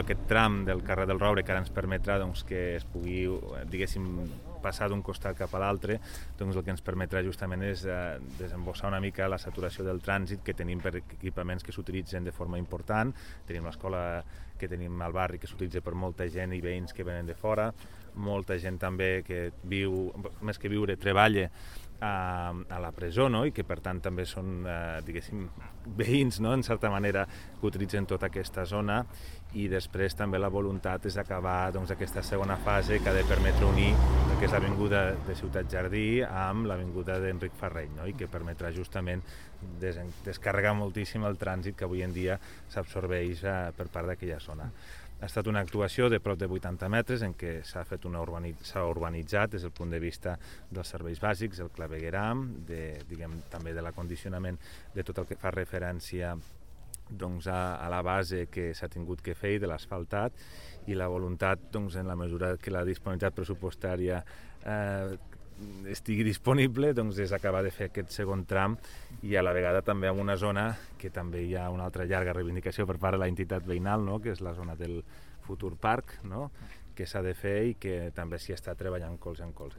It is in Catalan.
Aquest tram del carrer del Roure que ara ens permetrà que es pugui, diguéssim, passar d'un costat cap a l'altre, el que ens permetrà justament és desembossar una mica la saturació del trànsit que tenim per equipaments que s'utilitzen de forma important. Tenim l'escola que tenim al barri que s'utilitza per molta gent i veïns que venen de fora, molta gent també que viu, més que viure, treballa a la presó, no? I que per tant també són, diguéssim, veïns, no? En certa manera, que utilitzen tota aquesta zona, i després també la voluntat és acabar aquesta segona fase que ha de permetre unir el que és l'avinguda de Ciutat Jardí amb l'avinguda d'Enric Ferreny, no? I que permetrà justament descarregar moltíssim el trànsit que avui en dia s'absorbeix per part d'aquella zona. Ha estat una actuació de prop de 80 metres en què s'ha urbanitzat des del punt de vista dels serveis bàsics, el clavegueram, també de l'acondicionament de tot el que fa referència a la base que s'ha tingut que fer i de l'asfaltat, i la voluntat, en la mesura que la disponibilitat pressupostària estigui disponible, és acabar de fer aquest segon tram, i a la vegada també en una zona que també hi ha una altra llarga reivindicació per part de la entitat veïnal, no? Que és la zona del futur parc, no? Que s'ha de fer i que també s'hi està treballant colze en colze.